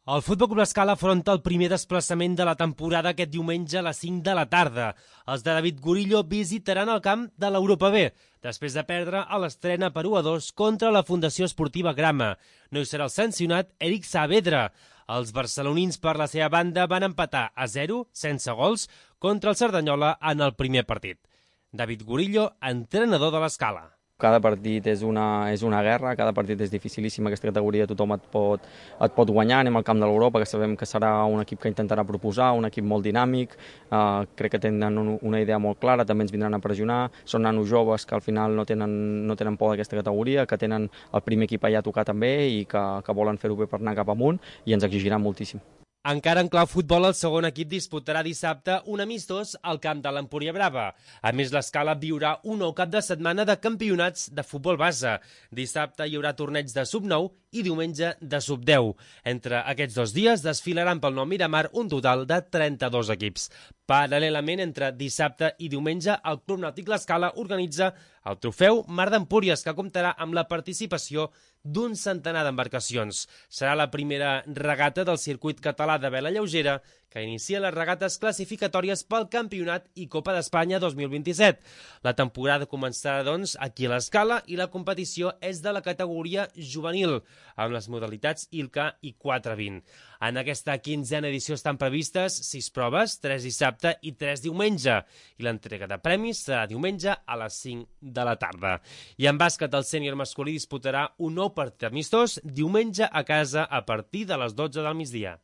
El Futbol Club L'Escala afronta el primer desplaçament de la temporada aquest diumenge a les 5 de la tarda. Els de David Gurillo visitaran el camp de l'Europa B, després de perdre a l'estrena per 1-2 contra la Fundació Esportiva Grama. No hi serà el sancionat Eric Saavedra. Els barcelonins, per la seva banda, van empatar a 0, sense gols, contra el Cerdanyola en el primer partit. David Gurillo, entrenador de l'Escala. Cada partit és una guerra, cada partit és dificilíssim, aquesta categoria tothom et pot guanyar, anem al camp de l'Europa, que sabem que serà un equip que intentarà proposar, un equip molt dinàmic, crec que tenen una idea molt clara, també ens vindran a pressionar, són nanos joves que al final no tenen por d'aquesta categoria, que tenen el primer equip allà a tocar també i que volen fer-ho bé per anar cap amunt i ens exigiran moltíssim. Encara en clau futbol, el segon equip disputarà dissabte un amistós al camp de l'Empúria Brava. A més, l'Escala viurà un nou cap de setmana de campionats de futbol base. Dissabte hi haurà torneig de sub-9 i diumenge de sub-10. Entre aquests dos dies desfilaran pel Nou Miramar un total de 32 equips. Paral·lelament, entre dissabte i diumenge, el Club Nàutic L'Escala organitza el trofeu Mar d'Empúries, que comptarà amb la participació d'un centenar d'embarcacions. Serà la primera regata del circuit català de vela lleugera que inicia les regates classificatòries pel Campionat i Copa d'Espanya 2027. La temporada començarà, doncs, aquí a l'Escala i la competició és de la categoria juvenil, amb les modalitats ILCA i 4-20. En aquesta 15a edició estan previstes 6 proves, 3 dissabte i 3 diumenge, i l'entrega de premis serà diumenge a les 5 de la tarda. I en bàsquet, el sènior masculí disputarà un nou partit amistós diumenge a casa a partir de les 12 del migdia.